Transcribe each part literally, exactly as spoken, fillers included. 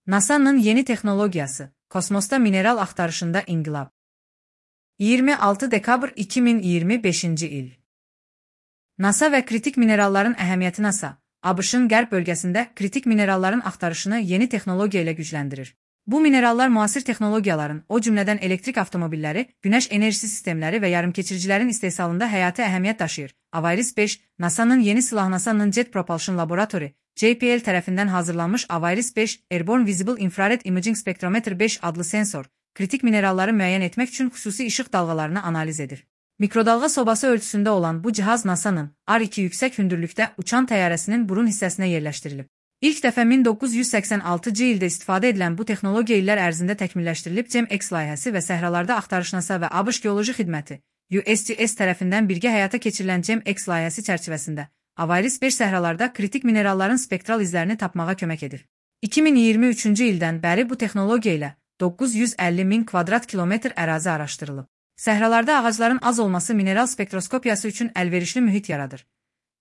NASA'nın yeni texnologiyası, kosmosda mineral axtarışında inqilab. iyirmi altı dekabr iki min iyirmi beşinci il. NASA və kritik mineralların əhəmiyyəti NASA, ABŞ-ın qərb bölgəsində kritik mineralların axtarışını yeni texnologiya ilə gücləndirir. Bu minerallar müasir texnologiyaların, o cümlədən elektrik avtomobilləri, günəş enerjisi sistemləri və yarımkeçiricilərin istehsalında həyati əhəmiyyət daşıyır. Avaris beş, NASA'nın yeni silah NASA'nın Jet Propulsion Laboratory, J P L tərəfindən hazırlanmış Avaris beş, Airborne Visible Infrared Imaging Spectrometer beş adlı sensor, kritik mineralları müəyyən etmək üçün xüsusi işıq dalğalarını analiz edir. Mikrodalğa sobası ölçüsündə olan bu cihaz NASA'nın R iki yüksək hündürlükdə uçan təyyarəsinin burun hissəsinə yerləşdirilib. İlk dəfə min doqquz yüz səksən altıncı ildə istifadə edilən bu texnologiya illər ərzində təkmilləşdirilib. GEM-X layihəsi və səhralarda axtarış NASA və ABŞ Geoloji Xidməti U S G S tərəfindən birgə həyata keçirilən GEM-X layihəsi çərçivəsində Avaris beş səhralarda kritik mineralların spektral izlərini tapmağa kömək edir. iki min iyirmi üçüncü ildən bəri bu texnologiya ilə doqquz yüz əlli min kvadrat kilometr ərazi araşdırılıb. Səhralarda ağacların az olması mineral spektroskopiyası üçün əlverişli mühit yaradır.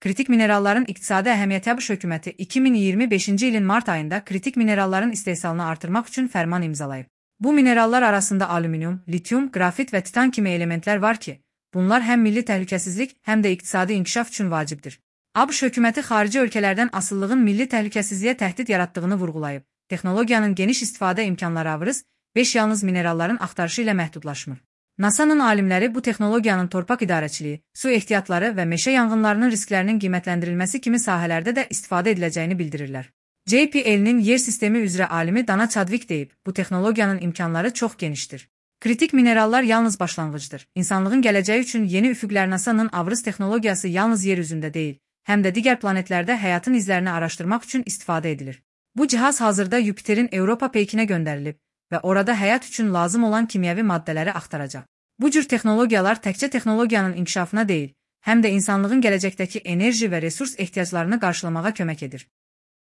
Kritik mineralların iqtisadi əhəmiyyəti ABŞ hökuməti iki min iyirmi beşinci ilin mart ayında kritik mineralların istehsalını artırmaq üçün fərman imzalayıb. Bu minerallar arasında alüminium, litium, qrafit və titan kimi elementlər var ki, bunlar həm milli təhlükəsizlik, həm də iqtisadi inkişaf üçün vacibdir. ABŞ hökuməti xarici ölkələrdən asıllığın milli təhlükəsizliyə təhdid yaratdığını vurğulayıb. Texnologiyanın geniş istifadə imkanları Avaris beş yalnız mineralların axtarışı ilə məhdudlaşmır. NASA'nın alimləri bu texnologiyanın torpaq idarəçiliyi, su ehtiyatları və meşə yanğınlarının risklərinin qiymətləndirilməsi kimi sahələrdə də istifadə ediləcəyini bildirirlər. J P L-nin yer sistemi üzrə alimi Dana Chadwick deyib, bu texnologiyanın imkanları çox genişdir. Kritik minerallar yalnız başlanğıcdır. İnsanlığın gələcəyi üçün yeni üfüqlər NASA'nın Avaris texnologiyası yalnız yer üzündə deyil, həm də digər planetlərdə həyatın izlərini araşdırmaq üçün istifadə edilir. Bu cihaz hazırda Yupiterin Europa peykinə göndərilib və orada həyat üçün lazım olan kimyəvi maddələri axtaracaq. Bu cür texnologiyalar təkcə texnologiyanın inkişafına deyil, həm də insanlığın gələcəkdəki enerji və resurs ehtiyaclarını qarşılamağa kömək edir.